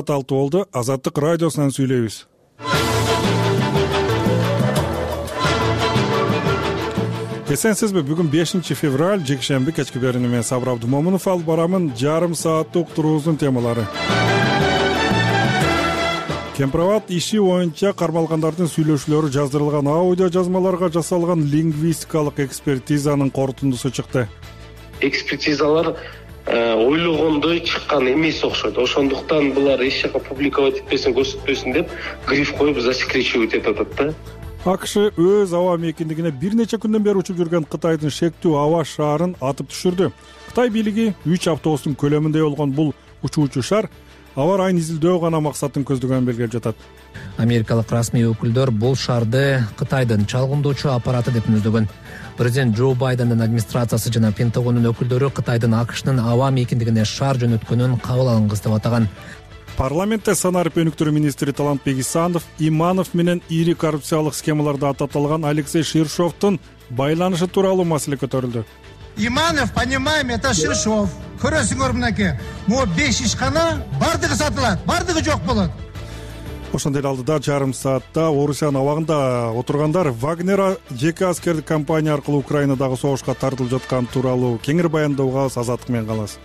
6 болду. Азаттык радиосунан сүйлөйбүз. Эсенсизби, бүгүн 5 февраль, жекшемби, кечки берүүнү мен Сабыр Абдумомунов алып барамын. Жарым сааттык уктуруубуздун темалары. Кемпирабад иши боюнча кармалгандардын сүйлөшүүлөрү жаздырылган аудио жазмаларга жасалган лингвистикалык экспертизанын корутундусу чыкты. Экспертизалар ойлогондой чыккан эмес окшойт. Ошондуктан булар эч жака публиковать этпесин, көрсөтпөсүн деп гриф коюп засекречивать этип атат да. АКШ өз аба мейкиндигине бир нече күндөн бери учуп жүргөн Кытайдын шектүү аба шаарын атып түшүрдү. Кытай бийлиги 3 автобустун көлөмүндө болгон бул учуучу шар аба райын изилдөө гана максатын көздөгөнүн белгилеп жатат. Америкалык расмий өкүлдөр бул шарды Кытайдын чалгындоочу аппараты деп мүнөздөгөн. Президент Джо Байдендин администрациясы жана Пентагондун өкүлдөрү Кытайдын АКШнын аба мейкиндигине шар жөнөткөнүн кабыл алынгыс деп атаган. Парламентте санарып өнүктүрүү министри Талантбек Исанов Иманов менен ири коррупциялык схемаларда ататылган Алексей Ширшовдун байланышы тууралуу маселе көтөрүлдү. Иманов, понимаем, это Ширшов. Көрөсүңөр мынакей. Могу 5 ишкана бардыгы сатылат, бардыгы жок болот. Ошондой эле алдыда жарым саатта Орусиянын абагында отургандар Вагнер жеке аскердик компания аркылуу Украинадагы согушка тартылып жаткан тууралуу кеңири баяндоого Азаттык менен калабыз.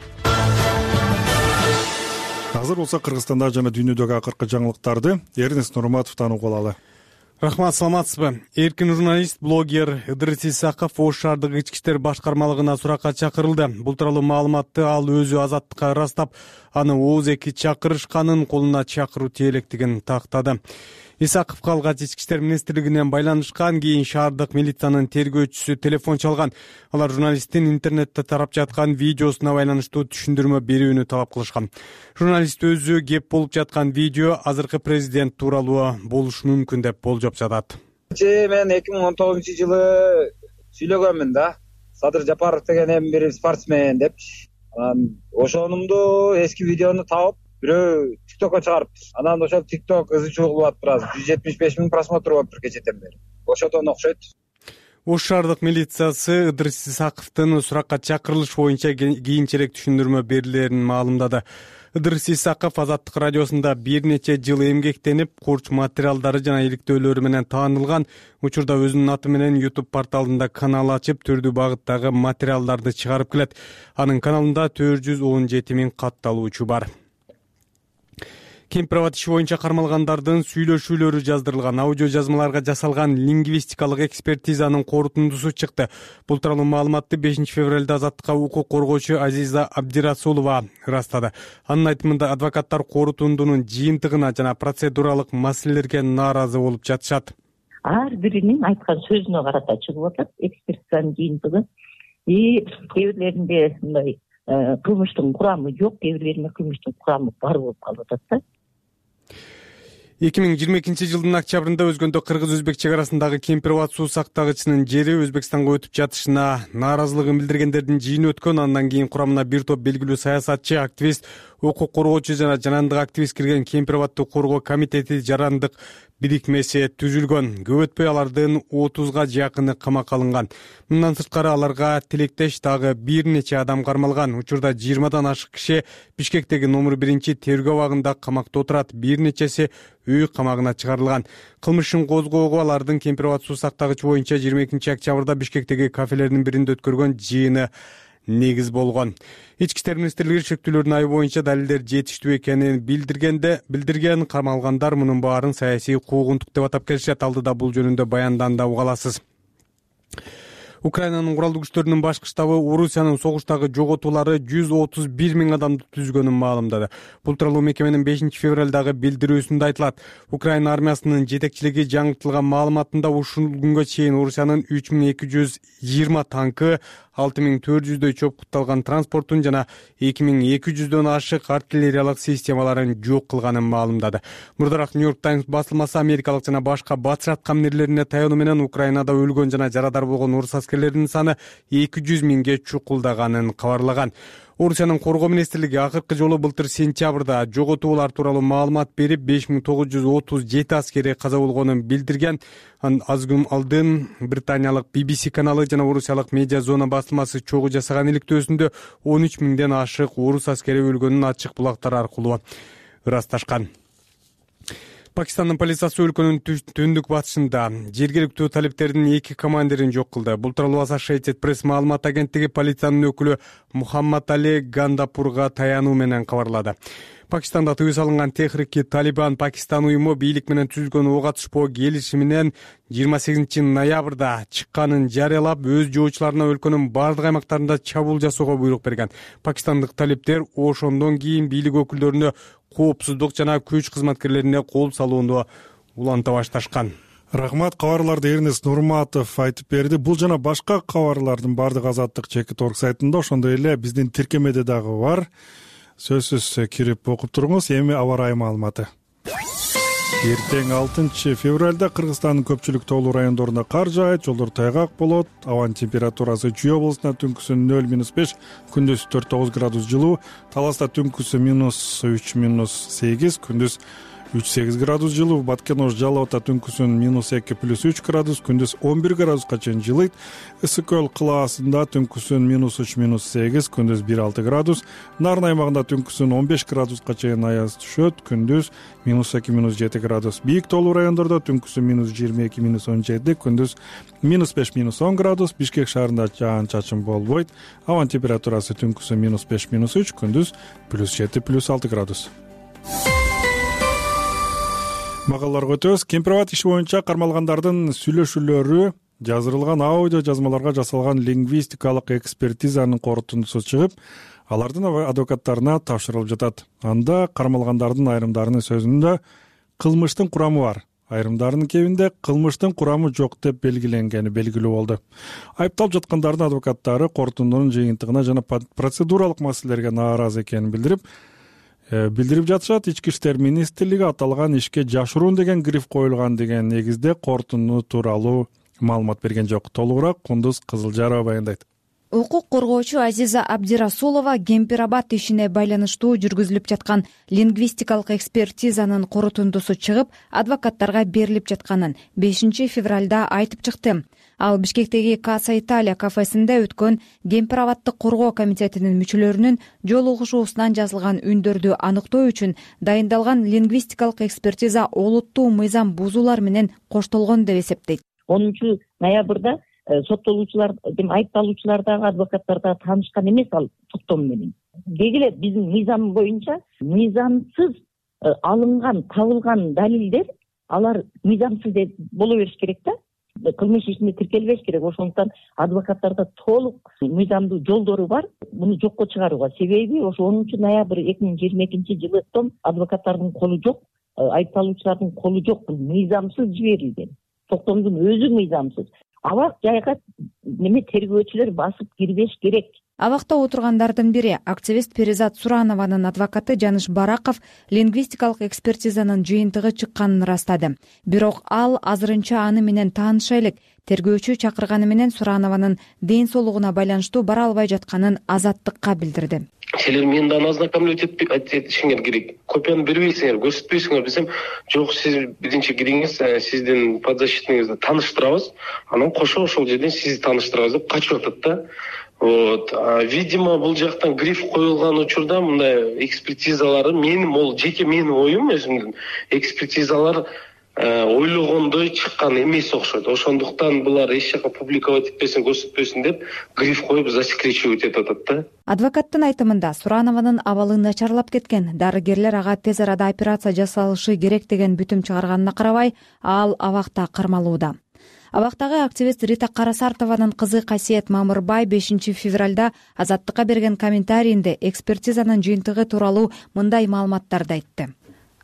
Азыр болсо Кыргызстанда жана дүйнөдөгү акыркы жаңылыктарды Эрнест Нурматовдон угуп алалы. Рахмат, саламатсызбы? Эркин журналист, блогер Ыдырыс Исаков Ош шаардык ички иштер башкармалыгына суракка чакырылды. Бул тууралуу маалыматты ал өзү Азаттыкка ырастап, аны ооз эки чакырышканын колуна чакыруу тиелектигин тактады. Исаковго алгач ички иштер министрлигинен байланышкан, кийин шаардык милициянын тергөөчүсү телефон чалган. Алар журналисттин интернетте тарап жаткан видеосуна байланыштуу түшүндүрмө берүүнү талап кылышкан. Журналист өзү кеп болуп жаткан видео азыркы президент тууралуу болушу мүмкүн деп болжоп жатат. Мен 2019-жылы сүйлөгөнмүн да. Садыр Жапаров деген эми бир спортсмен деп. Ошонумду эски видеону таап бирөө TikTokко чыгарыптыр. Анан ошол TikTok ызы чуугулуп атыптыр азыр. 175 000 просмотр болуптур кечеден бери. Ошодон окшойт. Ош шаардык милициясы Ыдырыс Исаковдун суракка чакырылыш боюнча кийинчерээк түшүндүрмө берилерин маалымдады. Ыдырыс Исаков Азаттык радиосунда бир нече жыл эмгектенип, курч материалдары жана иликтөөлөрү менен таанылган. Учурда өзүнүн аты менен YouTube порталында канал ачып, түрдүү багыттагы материалдарды чыгарып келет. Анын каналында 417 000 катталуучу бар. Кемпирабад иши боюнча кармалгандардын сүйлөшүүлөрү жаздырылган аудио жазмаларга жасалган лингвистикалык экспертизанын корутундусу чыкты. Бул тууралуу маалыматты 5 февралда Азаттыкка укук коргоочу Азиза Абдирасулова ырастады. Анын айтымында адвокаттар корутундунун жыйынтыгына жана процедуралык маселелерге нааразы болуп жатышат. Ар биринин айткан сөзүнө карата чыгып атат экспертизанын жыйынтыгы. Кээ бирлеринде мындай кылмыштын курамы жок, кээ бирлеринде кылмыштын курамы бар болуп калып атат да. 2022-жылдын октябрында өзгөндө кыргыз-өзбек чек арасындагы Кемпирабад суу сактагычынын жери Өзбекстанга өтүп жатышына нааразылыгын билдиргендердин жыйыны өткөн. Андан кийин курамына бир топ белгилүү саясатчы, активист, укук коргоочу жана жанандык активист кирген Кемпирабадды коргоо комитети жарандык бирикмеси түзүлгөн. Көп өтпөй алардын 30га жакыны камакка алынган. Мындан сырткары аларга тилектеш дагы бир нече адам кармалган. Учурда 20дан ашык киши Бишкектеги номер 1 тергөө абагында камакта отурат. Бир нечеси үй камагына чыгарылган. Кылмышын козгоого алардын Кемпирабад суу сактагычы боюнча 22 октябрда Бишкектеги кафелердин биринде өткөргөн жыйыны негиз болгон. Ички иштер министрлиги шектүүлөрдүн айы боюнча далилдер жетиштүү экенин билдирген. Кармалгандар мунун баарын саясий куугунтук деп атап келишет. Алдыда бул жөнүндө баянданды, уга аласыз. Украинанын куралдуу күчтөрүнүн башкы штабы Орусиянын согуштагы жоготуулары 131 000 адамды түзгөнүн маалымдады. Бул тууралуу мекеменин 5 февралдагы билдирүүсүндө айтылат. Украина армиясынын жетекчилиги жаңыртылган маалыматында ушул күнгө чейин Орусиянын 3220 танкы, 6400дөй чопкутталган транспортун жана 2200дөн ашык артиллериялык системаларын жок кылганын маалымдады. Мурдараак New York Times басылмасы америкалык жана башка батыш аткаминерлерине таянуу менен Украинада өлгөн жана жарадар болгон орус аскерлеринин саны 200 000ге чукулдаганын кабарлаган. Орусиянын коргоо министрлиги акыркы жолу былтыр сентябрда жоготуулар тууралуу маалымат берип 5937 аскери каза болгонун билдирген. Аз күн алдын британиялык BBC каналы жана орусиялык Медиа Зона басылмасы чогуу жасаган иликтөөсүндө 13 000ден ашык орус аскери өлгөнүн ачык булактар аркылуу ырасташкан. Пакистандын полициясы өлкөнүн түндүк батышында жергиликтүү талиптердин 2 командирин жок кылды. Бул тууралуу Associated Press маалымат агенттиги полициянын өкүлү Мухаммад Али Гандапурга таянуу менен кабарлады. Пакистанда тыюу салынган Техрики Талибан Пакистан уюму бийлик менен түзүлгөн ок атышпоо келишиминен 28 ноябрда чыкканын жарыялап, өз жоочуларына өлкөнүн бардык аймактарында чабуул жасоого буйрук берген. Пакистандык талиптер ошондон кийин бийлик өкүлдөрүнө коопсуздук жана күч кызматкерлерине кол салууну уланта башташкан. Рахмат, кабарларды Эрнест Нурматов айтып берди. Бул жана башка кабарлардын бардык Азаттык /org сайтында, ошондой эле биздин тиркемеде дагы бар. Сөзсүз кирип окуп туруңуз. Эми аба ырайы маалыматы. Эртең 6 февралда Кыргызстандын көпчүлүк тоолуу райондорунда кар жаайт, жолдор тайгак болот. Абанын температурасы Чүй облусунда түнкүсү 0-5, күндүз 4-9 градус жылуу, Таласта түнкүсү -3, -8, күндүз 3-8 градус жылуу, Баткен-Ош Жалал Абадта түнкүсүн -2 +3 градус, күндүз 11 градуска чейин жылыйт. Ысык көл кылаасында түнкүсүн -3, -8, күндүз 1-6 градус, Нарын аймагында түнкүсүн 15 градуска чейин аяз түшөт, күндүз -2, -7 градус. Бийик тоолуу райондордо түнкүсү -22, -17, күндүз -5, -10 градус. Бишкек шаарында жаан-чачын болбойт. Абанын температурасы түнкүсү -5, -3, күндүз +7, +6 градус. Магаларга өтөбүз. Кемпирабад иши боюнча кармалгандардын сүйлөшүүлөрү жаздырылган аудио жазмаларга жасалган лингвистикалык экспертизанын корутундусу чыгып, алардын адвокаттарына тапшырылып жатат. Анда кармалгандардын айрымдарынын сөзүндө кылмыштын курамы бар, айрымдарынын кебинде кылмыштын курамы жок деп белгиленгени белгилүү болду. Айыпталып жаткандардын адвокаттары корутундунун жыйынтыгына жана процедуралык маселелерге нааразы экенин билдирип жатышат. Ички иштер министрлиги аталган ишке жашыруун деген гриф коюлган деген негизде корутунду тууралуу маалымат берген жок. Толугураак Кундуз Кызылжарова баяндайт. Укук коргоочу Азиза Абдирасулова Кемпирабад ишине байланыштуу жүргүзүлүп жаткан лингвистикалык экспертизанын корутундусу чыгып, адвокаттарга берилип жатканын 5 февралда айтып чыкты. Ал Бишкектеги Каса Италия кафесинде өткөн Кемпирабаддык коргоо комитетинин мүчөлөрүнүн жолугушуусунан жазылган үндөрдү аныктоо үчүн дайындалган лингвистикалык экспертиза олуттуу мыйзам бузуулар менен коштолгон деп эсептейт. 10 ноябрда соттолуучулар, айыпталуучулар дагы адвокаттар дагы таанышкан эмес ал токтом менен. Дегиле биздин мыйзам боюнча мыйзамсыз алынган, табылган далилдер алар мыйзамсыз деп боло бериш керек да. Кылмыш ишинде тиркелбеш керек. Ошондуктан адвокаттарда толук мыйзамдуу жолдору бар муну жокко чыгарууга. Себеби ошо 10 ноябрь 2022 жылы адвокаттардын колу жок, айыпталуучулардын колу жок. Бул мыйзамсыз жиберилген. Токтомдун өзү мыйзамсыз. Абак жайга тергөөчүлөр басып кирбеш керек. Абакта отургандардын бири активист Перизат Суранованын адвокаты Жаныш Бараков лингвистикалык экспертизанын жыйынтыгы чыкканын ырастады. Бирок ал азырынча аны менен тааныша элек. Тергөөчү чакырганы менен Суранованын ден соолугуна байланыштуу бара албай жатканын Азаттыкка билдирди. Силер мени да ознакомлять этишиңер керек. Копияны бербейсиңер, көрсөтпөйсүңөр десем, жок, сиз биринчи кириңиз, сиздин подзащитныйыңызды тааныштырабыз, анан кошо ошол жерден сизди тааныштырабыз деп качып атат да. Видимо, бул жактан гриф коюлган учурда мындай экспертизалары менин жеке менин оюм өзүмдүн экспертизалар ойлогондой чыккан эмес окшойт. Ошондуктан булар эч жака публиковать этпесин, көрсөтпөсүн деп гриф коюп засекречивать этип атат да. Адвокаттын айтымында Суранованын абалы начарлап кеткен. Дарыгерлер ага тез арада операция жасалышы керек деген бүтүм чыгарганына карабай, ал абакта кармалууда. Абактагы активист Рита Карасартованын кызы Касиет Мамырбай 5 февралда Азаттыкка берген комментарийинде экспертизанын жыйынтыгы тууралуу мындай маалыматтарды айтты.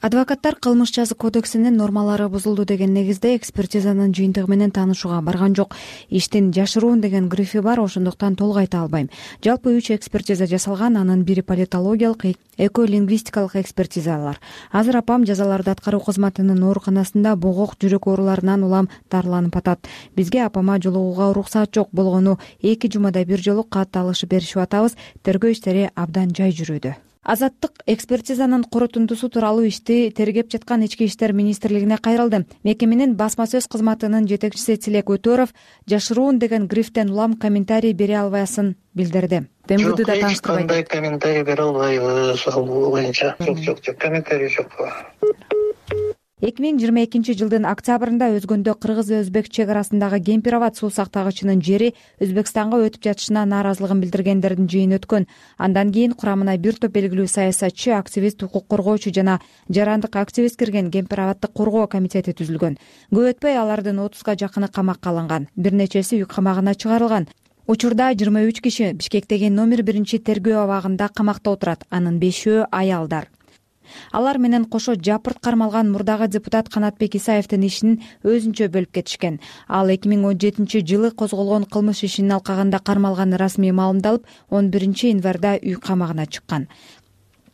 Адвокаттар кылмыш жаза кодексинин нормалары бузулду деген негизде экспертизанын жыйынтыгы менен таанышууга барган жок. Иштин жашыруун деген грифи бар, ошондуктан толук айта албайм. Жалпы 3 экспертиза жасалган, анын бири политологиялык, эколингвистикалык экспертизалар. Азыр апам жазаларды аткаруу кызматынын ооруканасында богок жүрөк ооруларынан улам дарыланып атат. Бизге апама жолугууга уруксат жок болгону 2 жумада бир жолу кат алышып беришип атабыз. Тергөө иштери абдан жай жүрүүдө. Азаттык экспертизанын корутундусу тууралуу ишти тергеп жаткан Ички иштер министрлигине кайрылды. Мекеменин басма сөз кызматынын жетекчиси Тилек Өтөров жашыруун деген грифтен улам комментарий бере албасын билдирди. МВД да таныштырбайт. Кандай комментарий бере албайбыз ал боюнча. Жок, комментарий жок. 2022 жылдын октябрында өзгөндө кыргыз-өзбек чек арасындагы Кемпир-Абад суу сактагычынын жери Өзбекстанга өтүп жатышына нааразылыгын билдиргендердин жыйыны өткөн. Андан кийин курамына бир топ белгилүү саясатчы, активист, укук коргоочу жана жарандык активист кирген Кемпир-Абадты коргоо комитети түзүлгөн. Көп өтпөй алардын 30га жакыны камакка алынган. Бир нечеси үй камагына чыгарылган. Учурда 23 киши Бишкектеги номер 1 тергөө абагында камакта отурат. Анын 5-өө аялдар. Алар менен кошо жапырт кармалган мурдагы депутат Канатбек Исаевдин ишин өзүнчө бөлүп кетишкен. Ал 2017 жылы козголгон кылмыш ишинин алкагында кармалганы расмий маалымдалып, 11 январда үй камагына чыккан.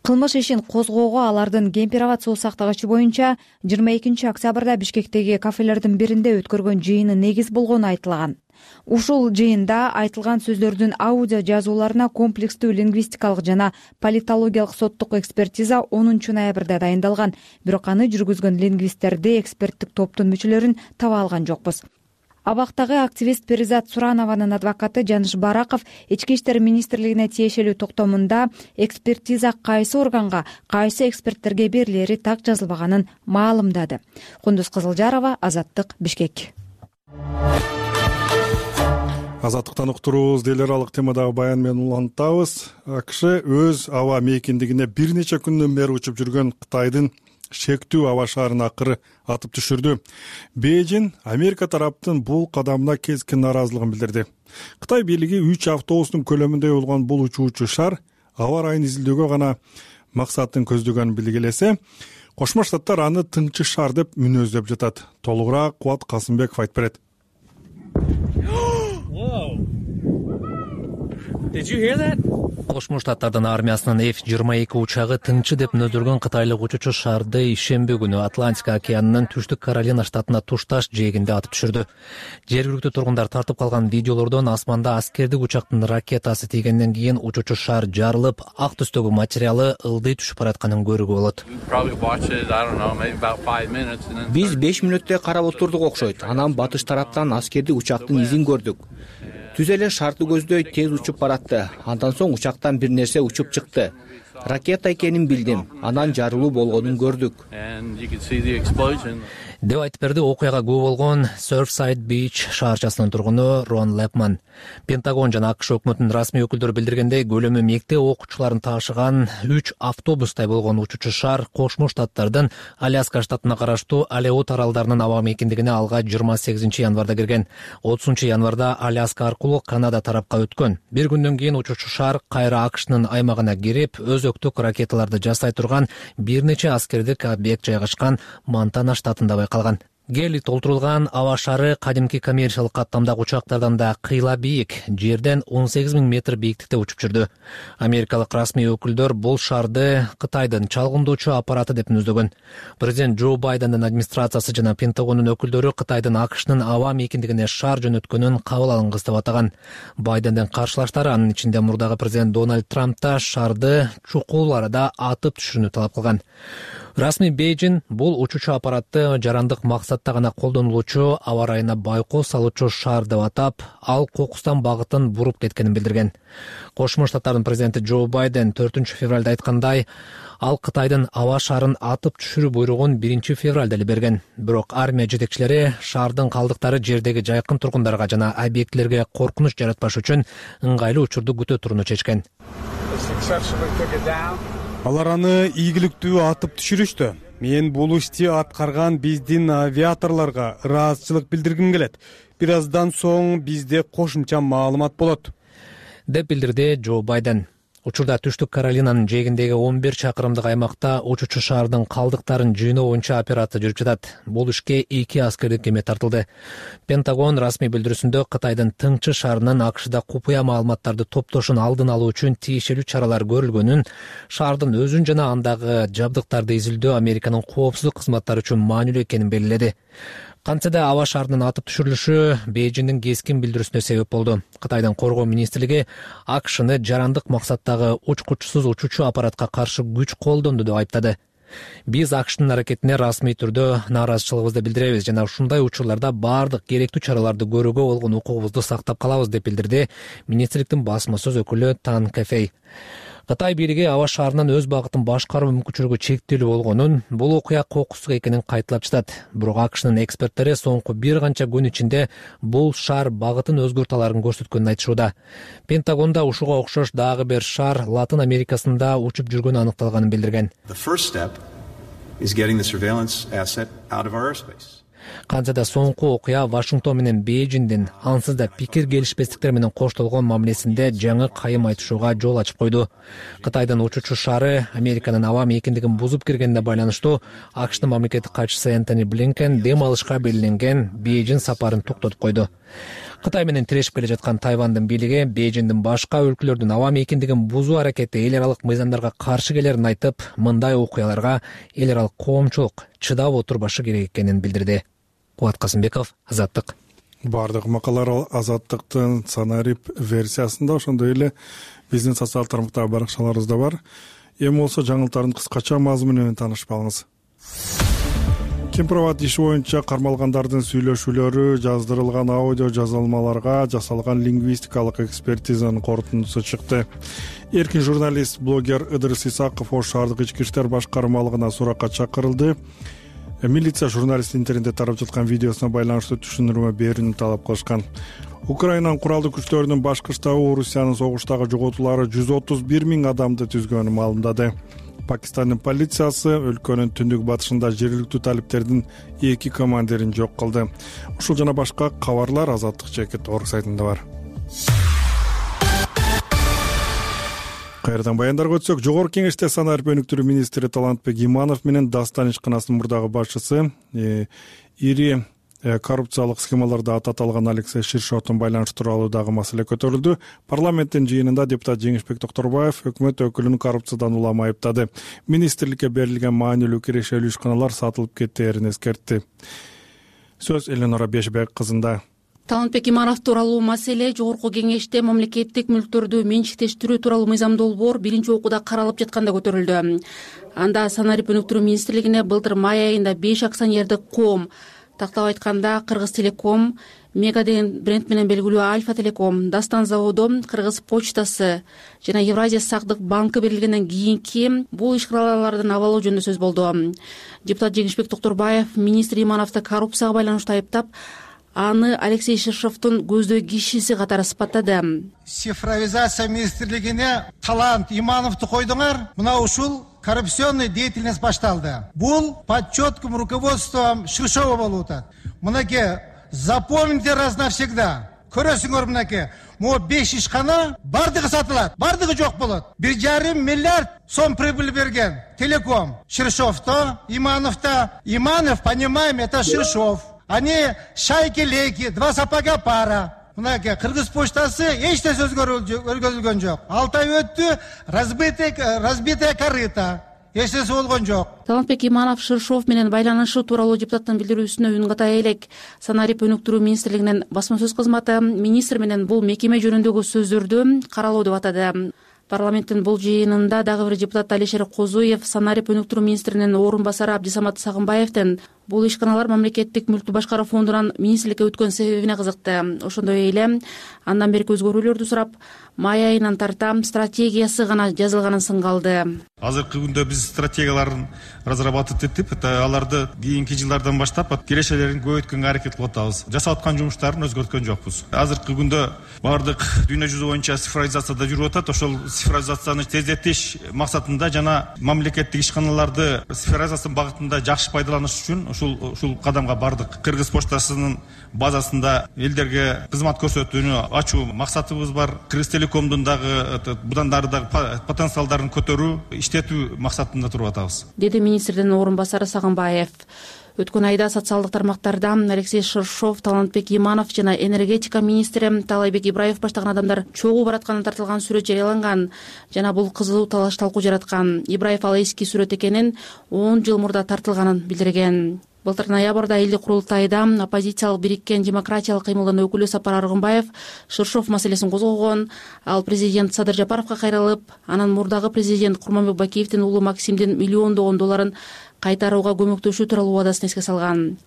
Кылмыш ишин козгоого алардын Кемпир-Абад суу сактагычы боюнча 22 октябрда Бишкектеги кафелердин биринде өткөргөн жыйыны негиз болгону айтылган. Ушул жыйында айтылган сөздөрдүн аудио жазууларына комплекстүү лингвистикалык жана политологиялык соттук экспертиза 10 ноябрда дайындалган. Бирок аны жүргүзгөн лингвисттерди эксперттик топтун мүчөлөрүн таба алган жокпуз. Абактагы активист Перизат Суранованын адвокаты Жаныш Бараков Ички иштер министрлигине тиешелүү токтомунда экспертиза кайсы органга, кайсы эксперттерге берилери так жазылбаганын маалымдады. Кундуз Кызылжарова, Азаттык, Бишкек. Азаттыктан уктурубуз. Делер алык темадагы баян менен улантабыз. АКШ өз аба мейкиндигине бир нече күндөн бери учуп жүргөн Кытайдын шектүү аба шаарын акыры атып түшүрдү. Бейжин Америка тараптын бул кадамына keskin нааразылыгын билдирди. Кытай бийлиги 3 автобустун көлөмүндөй болгон бул учуучу шар аба ырайын изилдөөгө гана максатын көздөгөнүн билгилесе, Кошмо Штаттар аны тыңчы шар деп мүнөздөп жатат. Толугураак Кубат Касымбеков айтып берет. Кошмо Штаттардын армиясынын F-22 учагы тыңчы деп мүнөздөлгөн кытайлык учуучу шарды ишемби күнү Атлантика океанынын Түштүк Каролина штатына тушташ жээгинде атып түшүрдү. Жергиликтүү тургундар тартып калган видеолордон асманда аскердик учактын ракетасы тийгенден кийин учуучу шар жарылып, ак түстөгү материалы ылдый түшүп баратканын көрүүгө болот. Биз 5 мүнөттөй карап отурдук окшойт. Анан батыш тараптан аскердик учактын изин көрдүк. Түз эле шарды көздөй тез учуп баратты. Андан соң учактан бир нерсе учуп чыкты. Ракета экенин билдим. Анан жарылуу болгонун көрдүк. Деп айтып берди окуяга күбө болгон Surfside Beach шаарчасынын тургуну Рон Лепман. Пентагон жана АКШ өкмөтүнүн расмий өкүлдөрү билдиргендей, көлөмү мектеп окуучуларын таашыган 3 автобустай болгон учуучу шар Кошмо Штаттардын Аляска штатына караштуу Алеут аралдарынын аба мейкиндигине алга 28 январда кирген. 30 январда Аляска аркылуу Канада тарапка өткөн. Бир күндөн кийин учуучу шар кайра АКШнын аймагына кирип, өзөктүк ракеталарды жасай турган бир нече аскердик объект жайгашкан Монтана штатында байкалган. Гели толтурулган аба шары кадимки коммерциялык каттамдагы учактардан да кыйла бийик, жерден 18 000 метр бийиктикте учуп жүрдү. Америкалык расмий өкүлдөр бул шарды Кытайдын чалгындоочу аппараты деп мүнөздөгөн. Президент Джо Байдендин администрациясы жана Пентагондун өкүлдөрү Кытайдын АКШнын аба мейкиндигине шар жөнөткөнүн кабыл алынгыс деп атаган. Байдендин каршылаштары, анын ичинде мурдагы президент Дональд Трамп да шарды чукул арада атып түшүрүүнү талап кылган. Расмий Бейжин бул учуучу аппаратты жарандык максатта гана колдонулуучу аба ырайына байкоо салуучу шар деп атап, ал кокустан багытын буруп кеткенин билдирген. Кошмо Штаттардын президенти Джо Байден 4 февралда айткандай, ал Кытайдын аба шарын атып түшүрүү буйругун 1 февралда эле берген. Бирок армия жетекчилери шардын калдыктары жердеги жайкын тургундарга жана объектилерге коркунуч жаратпаш үчүн ыңгайлуу учурду күтө турууну чечкен. Алар аны ийгиликтүү атып түшүрүштү. Мен бул ишти аткарган биздин авиаторлорго ыраазычылык билдиргим келет. Бир аздан соң бизде кошумча маалымат болот, деп билдирди Джо Байден. Учурда Түштүк Каролинанын жээгиндеги 11 чакырымдык аймакта учуучу шаардын калдыктарын жыйноо боюнча операция жүрүп жатат. Бул ишке 2 аскердик кеме тартылды. Пентагон расмий билдирүүсүндө Кытайдын тыңчы шаарынын АКШда купуя маалыматтарды топтошун алдын алуу үчүн тиешелүү чаралар көрүлгөнүн, шаардын өзүн жана андагы жабдыктарды изилдөө Американын коопсуздук кызматтары үчүн маанилүү экенин белгиледи. Кантсе да аба шаарынын атып түшүрүлүшү Бейжиңдин кескин билдирүүсүнө себеп болду. Кытайдын коргоо министрлиги АКШны жарандык максаттагы учкучсуз учуучу аппаратка каршы күч колдонду деп айыптады. Биз АКШнын аракетине расмий түрдө нааразычылыгыбызды билдиребиз жана ушундай учурларда баардык керектүү чараларды көрүүгө болгон укугубузду сактап калабыз деп билдирди министрликтин басма сөз өкүлү Тан Кэфэй. Кытай бийлиги аба шаарынан өз багытын башкаруу мүмкүнчүлүгү чектелүү болгонун, бул окуя кокустук экенин кайталап жатат. Бирок АКШнын эксперттери соңку бир канча күн ичинде бул шаар багытын өзгөртө аларын көрсөткөнүн айтышууда. Пентагонда ушуга окшош дагы бир шаар Латын Америкасында учуп жүргөнү аныкталганын билдирген. Кантсе да соңку окуя Вашингтон менен Бейжиңдин ансыз да пикир келишпестиктер менен коштолгон мамилесинде жаңы кайым айтышууга жол ачып койду. Кытайдын учуучу шаары Американын аба мейкиндигин бузуп киргенине байланыштуу АКШнын мамлекеттик катчысы Энтони Блинкен дем алышка белгиленген Бейжиң сапарын токтотуп койду. Кытай менен тирешип келе жаткан Тайвандын бийлиги Бейжиңдин башка өлкөлөрдүн аба мейкиндигин бузуу аракети эл аралык мыйзамдарга каршы келерин айтып, мындай окуяларга эл аралык коомчулук чыдап отурбашы керек экенин билдирди. Кубат Касымбеков, Азаттык. Бардык макалалар Азаттыктын санарип версиясында, ошондой эле биздин социалдык тармактагы баракчаларыбызда бар. Эми болсо жаңылыктардын кыскача мазмуну менен таанышып алыңыз. Кемпирабад иши боюнча кармалгандардын сүйлөшүүлөрү жаздырылган аудио жазылмаларга жасалган лингвистикалык экспертизанын корутундусу чыкты. Эркин журналист, блогер Ыдырыс Исаков Ош шаардык ички иштер башкармалыгына суракка чакырылды. Милиция журналист интернетте тарап жаткан видеосуна байланыштуу түшүндүрмө берүүнү талап кылышкан. Украинанын куралдуу күчтөрүнүн башкы штабы Орусиянын согуштагы жоготуулары 130 000 адамды түзгөнүн маалымдады. Пакистандын полициясы өлкөнүн түндүк батышында жергиликтүү талиптердин 2 командирин жок кылды. Ушул жана башка кабарлар Азаттык Чекит орг сайтында бар. Кайрадан баяндарга өтсөк, Жогорку Кеңеште санарип өнүктүрүү министри Талантбек Иманов менен Дастан ишканасынын мурдагы башчысы ири коррупциялык схемаларды аталган Алексей Ширшовдун байланышы тууралуу дагы маселе көтөрүлдү. Парламенттин жыйынында депутат Жеңишбек Токторбаев өкмөт өкүлүн коррупциядан улам айыптады. Министрликке берилген маанилүү кирешелүү ишканалар сатылып кетээрин эскертти. Сөз Эленора Бешбек кызында. Талантбек Иманов тууралуу маселе Жогорку Кеңеште мамлекеттик мүлктөрдү менчиктештирүү тууралуу мыйзам долбоор биринчи окууда каралып жатканда көтөрүлдү. Анда санарип өнүктүрүү министрлигине былтыр май айында 5 акционердик коом, тактап айтканда Кыргыз Телеком, Мега деген бренд менен белгилүү Альфа Телеком, Дастан заводу, Кыргыз почтасы жана Евразия сактык банкы берилгенден кийинки бул ишканалардын абалы жөнүндө сөз болду. Депутат Жеңишбек Токторбаев министр Имановду коррупцияга байланыштуу айыптап, аны Алексей Ширшовдун көздөй кишиси катары сыпаттады. Цифровизация министрлигине Талант Имановду койдуңар, мына ушул коррупционный деятельность башталды. Бул под четким руководством Ширшова болуп атат. Мынакей, запомните раз навсегда. Көрөсүңөр мынакей, могу 5 ишкана бардыгы сатылат, бардыгы жок болот. 1,5 миллиард сом прибыль берген Телеком. Ширшовто, Имановто. Иманов, понимаем, это Ширшов. Они шайки-лейки, 2 сапога пара. Мынакей Кыргыз почтасы эч нерсе өзгөрүлгөн жок. 6 ай өттү, разбитая корыто. Эч нерсе болгон жок. Талантбек Иманов Ширшов менен байланышы тууралуу депутаттын билдирүүсүнө үн ката элек. Санарип өнүктүрүү министрлигинин басма сөз кызматы министр менен бул мекеме жөнүндөгү сөздөрдү каралоо деп атады. Парламенттин бул жыйынында дагы бир депутат Алишер Козуев санарип өнүктүрүү министринин орун басары Абдисамат Сагынбаевдин бул ишканалар мамлекеттик мүлктү башкаруу фондунан министрликке өткөн себебине кызыкты. Ошондой эле андан берки өзгөрүүлөрдү сурап, май айынан тарта стратегиясы гана жазылганын сынга алды. Азыркы күндө биз стратегияларын разрабатывать этип, аларды кийинки жылдардан баштап кирешелерин көбөйткөнгө аракет кылып атабыз. Жасап аткан жумуштарын өзгөрткөн жокпуз. Азыркы күндө бардык дүйнө жүзү боюнча цифровизацияда жүрүп атат. Ошол цифровизацияны тездетиш максатында жана мамлекеттик ишканаларды цифровизациянын багытында жакшы пайдаланыш үчүн ушул кадамга бардык. Кыргыз почтасынын базасында элдерге кызмат көрсөтүүнү ачуу максатыбыз бар. Кыргыз Телекомдун дагы будан дары потенциалдарын көтөрүү, иштетүү максатында туруп атабыз, деди министрдин орун басары Сагынбаев. Өткөн айда социалдык тармактарда Алексей Ширшов, Талантбек Иманов жана энергетика министри Таалайбек Ибраев баштаган адамдар чогуу баратканы тартылган сүрөт жарыяланган жана бул кызуу талаш талкуу жараткан. Ибраев ал эски сүрөт экенин 10 жыл мурда тартылганын билдирген. Былтыр ноябрда элдик курултайда оппозициялык бириккен демократиялык кыймылдын өкүлү Сапар Аргынбаев Шыршов маселесин козгогон. Ал президент Садыр Жапаровго кайрылып, анан мурдагы президент Курманбек Бакиевдин уулу Максимдин миллиондогон долларын кайтарууга көмөктөшүү тууралуу убадасын эске салган.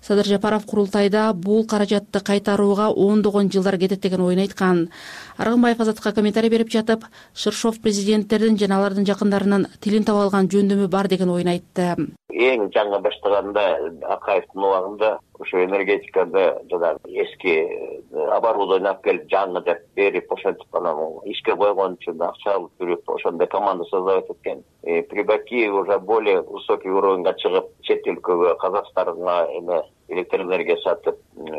Садыр Жапаров курултайда бул каражатты кайтарууга ондогон жылдар кетет деген оюн айткан. Аргынбаев Азаттыкка комментарий берип жатып, Шыршов президенттердин жана алардын жакындарынын тилин таба алган жөндөмү бар деген оюн айтты. Эң жаңы баштаганда Акаевдин убагында ошо энергетикада жана эски оборудование алып келип жаңы деп берип ошентип анан ишке койгон үчүн акча алып жүрүп ошондой команда создавать эткен. При Бакиеве уже более высокий уровеньга чыгып, чет өлкөгө Казакстанга электроэнергия сатып,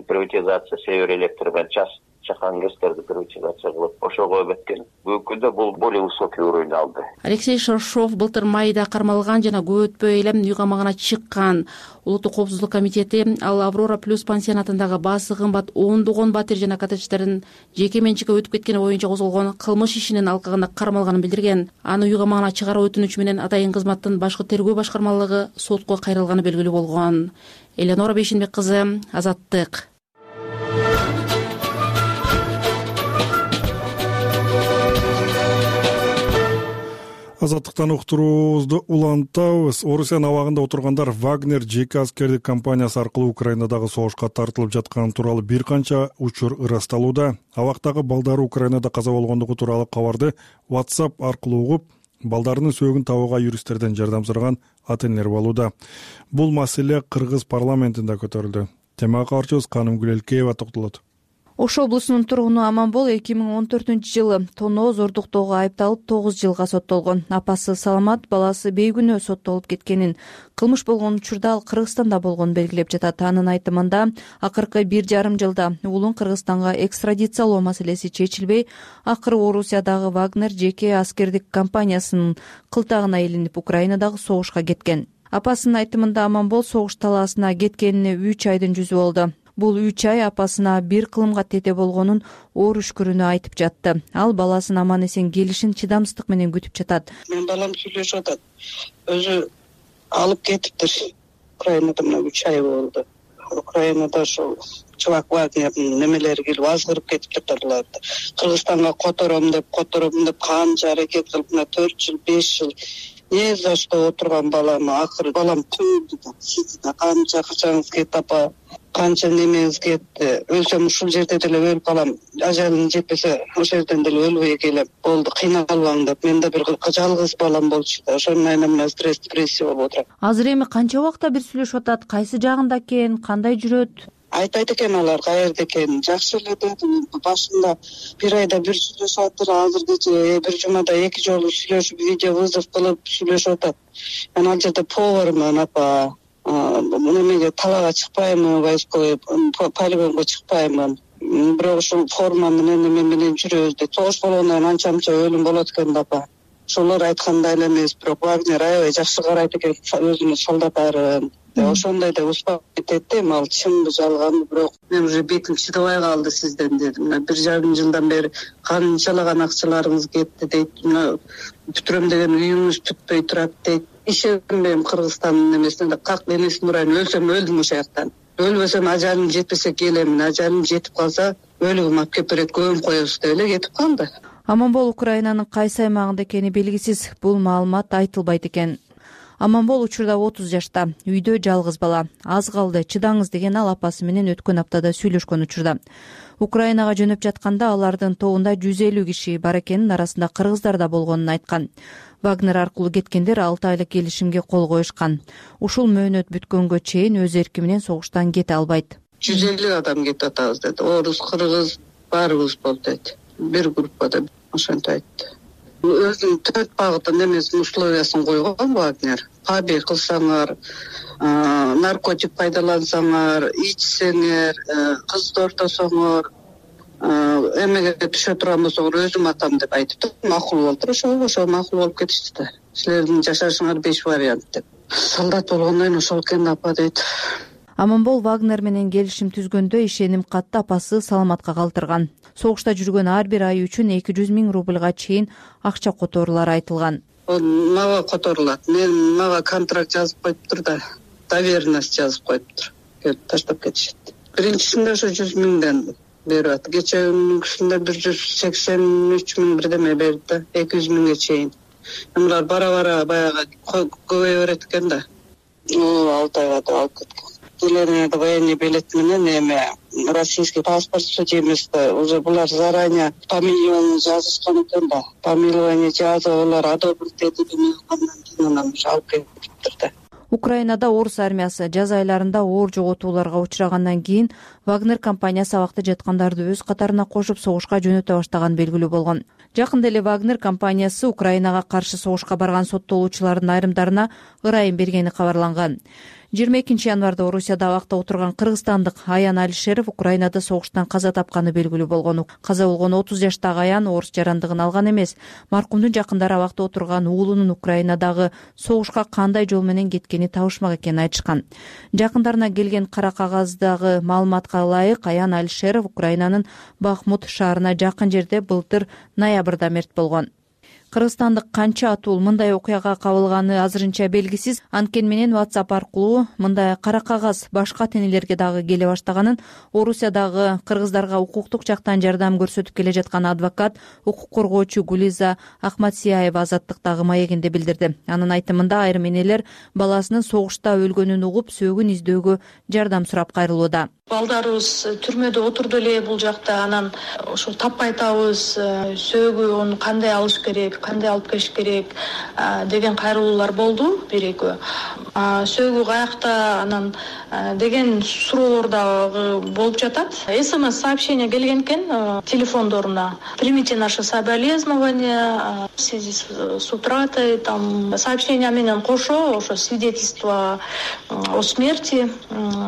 приватизация Север электр менен чакан гэстерди приватизация кылып ошого өткөн. Бүгүнкү күндө бул более высокий уровень алды. Алексей Шыршов былтыр майда кармалган жана көп өтпөй эле үй камагына чыккан. Улуттук коопсуздук комитети ал Аврора плюс пансионатындагы баасы кымбат ондогон батир жана коттедждердин жеке менчикке өтүп кеткени боюнча козголгон кылмыш ишинин алкагында кармалганын билдирген. Аны үй камагына чыгаруу өтүнүчү менен Атайын кызматтын башкы тергөө башкармалыгы сотко кайрылганы белгилүү болгон. Эленора Бейшенбек кызы, Азаттык. Азаттыктан уктуруубузду улантабыз. Орусиянын абагында отургандар Вагнер жеке аскердик компаниясы аркылуу Украинадагы согушка тартылып жатканы тууралуу бир канча учур ырасталууда. Абактагы балдары Украинада каза болгондугу тууралуу кабарды WhatsApp аркылуу угуп, балдарынын сөөгүн табууга юристтерден жардам сураган ата-энелер болууда. Бул маселе Кыргыз парламентинде көтөрүлдү. Темага кабарчыбыз Канымгүл Элкеева токтолот. Ош облусунун тургуну Аманбол 2014-жылы тоноо зордуктоого айыпталып 9 жылга соттолгон. Апасы Саламат баласы бейгүнөө соттолуп кеткенин, кылмыш болгон учурда ал Кыргызстанда болгонун белгилеп жатат. Анын айтымында акыркы 1,5 жылда уулун Кыргызстанга экстрадициялоо маселеси чечилбей, акыры Орусиядагы Вагнер жеке аскердик компаниясынын кылтагына илинип Украинадагы согушка кеткен. Апасынын айтымында Аманбол согуш талаасына кеткенине 3 айдын жүзү болду. Бул 3 ай апасына бир кылымга тете болгонун оор үшкүрүнө айтып жатты. Ал баласын аман эсен келишин чыдамсыздык менен күтүп жатат. Мен балам сүйлөшүп атат. Өзү алып кетиптир. Украинада мына 3 ай болду. Украинада ошол чувак Вагнердин немелери келип азгырып кетиптир аларды. Кыргызстанга котором деп канча аракет кылып, мына 4 жыл, 5 жыл не за что отурган балам акыры балам түндү да, сиз да канча акчаңыз кетти апа, канча немеңиз кетти, өлсөм ушул жерде деле өлүп калам, ажалым жетпесе ошол жерден деле өлбөй келем, болду кыйналбаң деп. Мен да бир жалгыз балам болчу да, ошонун айынан мына стресс, депрессия болуп отурат. Азыр эми канча убакта бир сүйлөшүп атат, кайсы жагында экен, кандай жүрөт? Айтпайт экен алар каерде экенин. Жакшы эле дедим, башында бир айда бир сүйлөшүп атыр, азыркыча бир жумада 2 жолу сүйлөшүп, видео вызов кылып сүйлөшүп атат. Мен ал жерде повармын апа, немеге талаага чыкпаймын, войсковой полигонго чыкпаймын. Бирок ушул форма менен эме менен жүрөбүз дейт. Согуш болгондон кийин анча өлүм болот экен да апа. Ошолор айткандай эле эмес, бирок Вагнер аябай жакшы карайт экен өзүнүн солдаттарын. Ошондой да успокоить этти, ал чынбы жалганбы, бирок мен уже бетим чыдабай калды сизден дедим. Мына 1,5 жылдан бери канчалаган акчаларыңыз кетти дейт. Мына бүтүрөм деген үйүңүз бүтпөй турат дейт. Ишенбейм Кыргызстандын немесине, как энесин урайын, өлсөм өлдүм ошол жактан. Өлбөсөм ажалым жетпесе келемин, ажалым жетип калса өлүгүм алып келип берет, көмүп коебуз деп эле кетип калды. Аманбол Украинанын кайсы аймагында экени белгисиз. Бул маалымат айтылбайт экен. Аманбол учурда 30 жашта, үйдө жалгыз бала. Аз калды, чыдаңыз деген ал апасы менен өткөн аптада сүйлөшкөн учурда. Украинага жөнөп жатканда алардын тобунда 150 киши бар экенин, арасында кыргыздар да болгонун айткан. Вагнер аркылуу кеткендер 6 айлык келишимге кол коюшкан. Ушул мөөнөт бүткөнгө чейин өз эрки менен согуштан кете албайт. 150 адам кетип атабыз деди. Орус, кыргыз баарыбыз болду деди. Бир группада ошентип айтты. Өзүнүн 4 багытын эмесин условиясын койгон Вагнер. Побег кылсаңар, наркотик пайдалансаңар, ичсеңер, кызды ортосоңор, эмеге түшө турган болсоңор өзүм атам деп айтыптыр. Макул болду. Ошо макул болуп кетишти да. Силердин жашашыңар 5 вариант деп. Солдат болгондон кийин ошол экен апа дейт. Аманбол Вагнер менен келишим түзгөндө ишеним катты апасы Саламатка калтырган. Согушта жүргөн ар бир ай үчүн 200 000 рубльга чейин акча которуулары айтылган. Мага которулат. Мага контракт жазып коюптур да. доверенность жазып коюптур, келип таштап кетишет. Биринчисинде ошо 100 миңден берип атат. Кечеүнкүсүндө 183 миң бирдеме берди да, 200 миңге чейин. Булар бара баягы көбөйө берет экен да. Алтайга да алып кеткен. Келеринде военный билет менен эме российский паспорт судимость уже булар заранее помилование жазышкан экен да. Помилование жазып алар одобрить этип андан кийин анан алып кетиптир да. Украинада орус армиясы жаз айларында оор жоготууларга учрагандан кийин Вагнер компаниясы абакта жаткандарды өз катарына кошуп согушка жөнөтө баштаган белгилүү болгон. Жакында эле Вагнер компаниясы Украинага каршы согушка барган соттолуучулардын айрымдарына ырайым бергени кабарланган. 22 январда Орусияда абакта отурган кыргызстандык Аян Алишеров Украинада согуштан каза тапканы белгилүү болгон. Каза болгон 30 жаштагы Аян орус жарандыгын алган эмес. Маркумдун жакындары абакта отурган уулунун Украинадагы согушка кандай жол менен кеткени табышмак экенин айтышкан. Жакындарына келген кара кагаздагы маалыматка ылайык Аян Алишеров Украинанын Бахмут шаарына жакын жерде былтыр ноябрда мерт болгон. Кыргызстандык канча атуул мындай окуяга кабылганы азырынча белгисиз. Анткени менен WhatsApp аркылуу мындай кара кагаз башка тенелерге дагы келе баштаганын Орусиядагы кыргыздарга укуктук жактан жардам көрсөтүп келе жаткан адвокат, укук коргоочу Гулиза Ахматсияева Азаттыктагы маегинде билдирди. Анын айтымында айрым энелер баласынын согушта өлгөнүн угуп сөөгүн издөөгө жардам сурап кайрылууда. Балдарыбыз түрмөдө отурду эле бул жакта, анан ошо таппай атабыз, сөөгү onu кандай алыш керек, кандай алып келиш керек деген кайрылуулар болду бир-экөө. Сөөгү каякта анан деген суроолор дагы болуп жатат. СМС сообщение келген экен телефондоруна. Примите наше соболезнование в связи с утратой, там сообщение менен кошо ошо свидетельство о смерти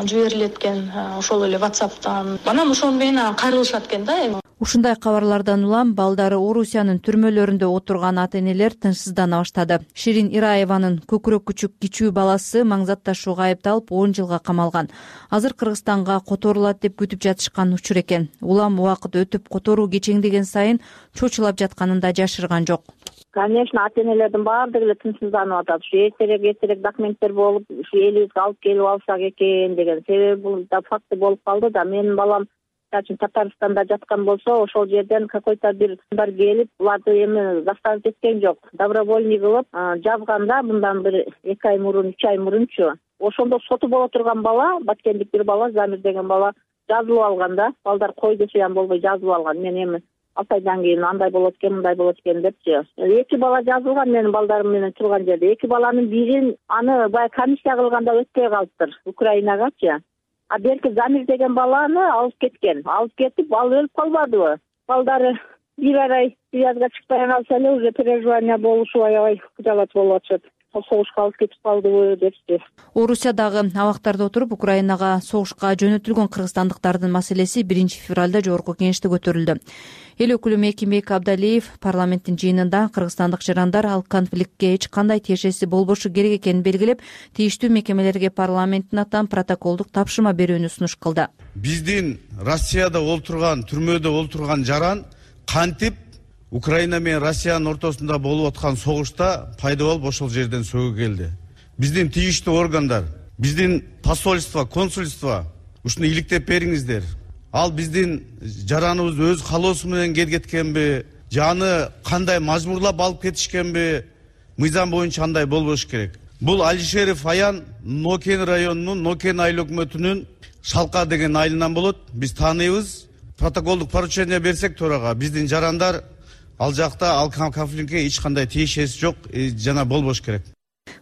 жиберилет экен. Ошол эле WhatsApp'тан. Анан ошол менен кайрылышат экен да. Ушундай кабарлардан улам балдары Орусиянын түрмөлөрүндө отурган ата-энелер тынчсыздана баштады. Ширин Ираеванын көкүрөк күчүк кичүү баласы маңзат ташууга айыпталып 10 жылга камалган. Азыр Кыргызстанга которулат деп күтүп жатышкан учур экен. Улам убакыт өтүп которуу кечеңдеген сайын чочулап жатканын да жашырган жок. Конечно, ата-энелердин баардыгы эле тынчсызданып атат. Ушу эртерээк документтер болуп, ушу элибизге алып келип алсак экен деген. Себеби бул да факты болуп калды да. Менин балам Татарстанда жаткан болсо, ошол жерден какой-то бир бар келип, буларды эми заставить эткен жок. Добровольный кылып жазганда мындан бир 2 ай мурун, 3 ай мурунчу. Ошондо соту боло турган бала, баткендик бир бала, Замир деген бала жазылып алган да. Балдар кой десе ham болбой жазылып алган. Мен эми 6 айдан кийин андай болот экен, мындай болот экен депчи. 2 бала жазылган менин балдарым менен турган жерде. 2 баланын бирин аны бая комиссия кылганда өтпөй калыптыр Украинагачы. А берки Замир деген баланы алып кеткен. Алып кетип, ал өлүп калбадыбы? Балдары бир ай связга чыкпай калса эле уже переживание болушу аябай жалат болуп атышат. Согушка алып кетип калдыбы депчи. Орусиядагы абактарда отуруп Украинага согушка жөнөтүлгөн кыргызстандыктардын маселеси 1 февралда жогорку кеңеште көтөрүлдү. Эл өкүлү Мекимбек Абдалиев парламенттин жыйынында кыргызстандык жарандар ал конфликтке эч кандай тиешеси болбошу керек экенин белгилеп, тийиштүү мекемелерге парламенттин атынан протоколдук тапшырма берүүнү сунуш кылды. Биздин Россияда олтурган, түрмөдө олтурган жаран кантип Украина менен Россиянын ортосунда болуп аткан согушта пайда болуп ошол жерден сөөгү келди. Биздин тийиштүү органдар, биздин посольство, консульство ушуну иликтеп бериңиздер. Ал биздин жараныбыз өз калоосу менен кеткенби, жаны кандай мажбурлап алып кетишкенби, мыйзам боюнча андай болбош керек. Бул Алишеров Аян Нокен районунун Нокен айыл өкмөтүнүн Шалка деген айылынан болот. Биз тааныйбыз. Протоколдук поручение берсек төрага, биздин жарандар ал жакта ал конфликтке эч кандай тиешеси жок, жана болбош керек.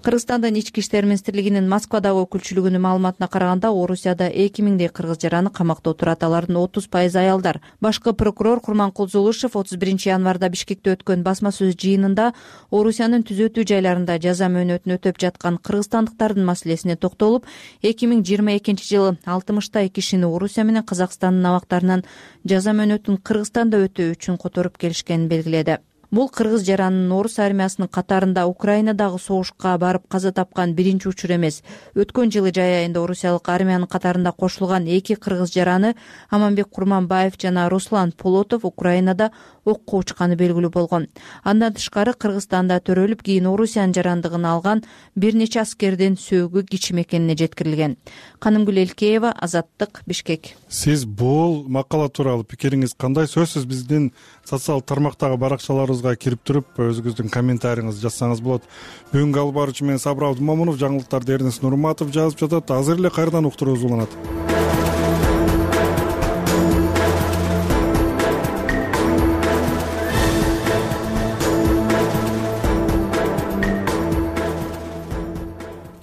Кыргызстандын ички иштер министрлигинин Москвадагы өкүлчүлүгүнүн маалыматына караганда, Орусияда 2000дей кыргыз жараны камакта отурат. Алардын 30% аялдар. Башкы прокурор Курманкул Зулушев 31 январда Бишкекте өткөн басма сөз жыйынында Орусиянын түзөтүү жайларында жаза мөөнөтүн өтөп жаткан кыргызстандыктардын маселесине токтолуп, 2022 жылы 60 кишини Орусия менен Казакстандын абактарынан жаза мөөнөтүн Кыргызстанда өтөө үчүн которуп келишкенин белгиледи. Бул кыргыз жаранынын орус армиясынын катарында Украинадагы согушка барып каза тапкан биринчи учур эмес. Өткөн жылы жай айында орусиялык армиянын катарында кошулган 2 кыргыз жараны Аманбек Курманбаев жана Руслан Полотов Украинада окко учканы белгилүү болгон. Андан тышкары Кыргызстанда төрөлүп, кийин Орусиянын жарандыгын алган бир нече аскердин сөөгү кичим экенине жеткирилген. Канымгүл Элкеева, Азаттык, Бишкек. Сиз бул макала тууралуу пикириңиз кандай? Сөзсүз биздин социалдык тармактагы баракчаларыбызга кирип туруп өзүңүздүн комментарийиңизди жазсаңыз болот. Бүгүнкү алып баруучу мен Сабыр Абдымомунов, жаңылыктарды Эрнест Нурматов жазып жатат. Азыр эле кайрадан уктуруубуз уланат.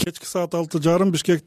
Кечки саат 6:30 Бишкектин